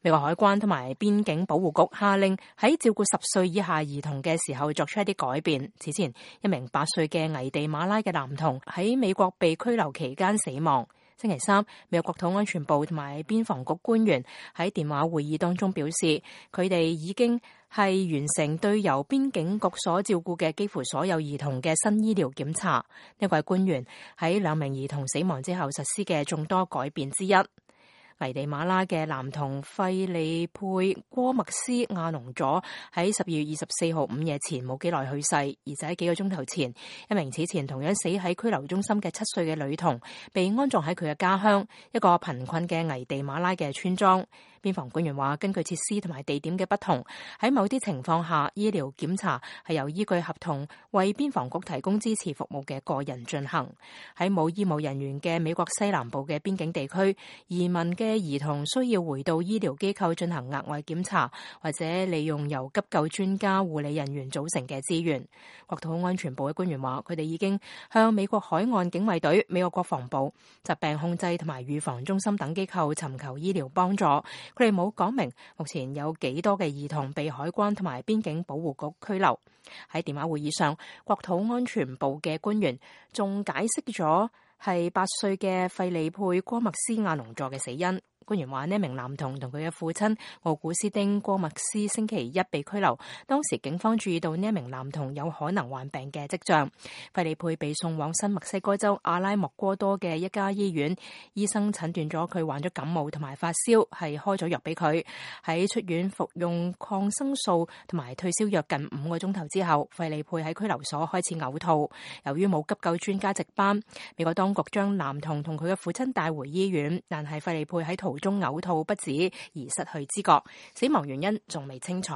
美國海關同埋邊境保護局下令喺照顧10歲以下兒童嘅時候作出一啲改變。此前，一名8歲嘅危地馬拉嘅男童喺美國被拘留期間死亡。星期三，美國國土安全部同埋邊防局官員喺電話會議當中表示，佢哋已經係完成對由邊境局所照顧嘅幾乎所有兒童嘅新醫療檢查。呢位官員喺2名兒童死亡之後實施嘅眾多改變之一。危地馬拉嘅男童費利佩戈麥斯亞隆佐喺12月24號午夜前冇幾耐去世，而就喺幾個鐘頭前，一名此前同樣死喺拘留中心嘅7歲嘅女童被安葬喺佢嘅家鄉，一個貧困嘅危地馬拉嘅村莊。邊防官員話，根據設施同埋地點嘅不同，喺某啲情況下，醫療檢查係由依據合同為邊防局提供支持服務嘅個人進行。喺冇醫務人員嘅美國西南部嘅邊境地區，移民嘅兒童需要回到醫療機構進行額外檢查，或者利用由急救專家、護理人員組成嘅資源。國土安全部嘅官員話，佢哋已經向美國海岸警衛隊、美國國防部、疾病控制同埋預防中心等機構尋求醫療幫助。佢哋冇講明目前有幾多嘅兒童被海關同埋邊境保護局拘留。喺電話會議上，國土安全部嘅官員仲解釋咗係8歲嘅費利佩戈麥斯亞隆佐嘅死因。官員話，呢名男童同佢嘅父親奧古斯丁戈麥斯星期一被拘留，當時警方注意到呢名男童有可能患病嘅跡象。費利佩被送往新墨西哥州阿拉莫戈多嘅一家醫院，醫生診斷咗佢患咗感冒同埋發燒，係開咗藥俾佢。喺出院服用抗生素同埋退燒藥近5個鐘頭之後，費利佩喺拘留所開始嘔吐。由於冇急救專家值班，美國當局將男童同佢嘅父親帶回醫院，但係費利佩喺途中嘔吐不止而失去知覺，死亡原因仲未清楚。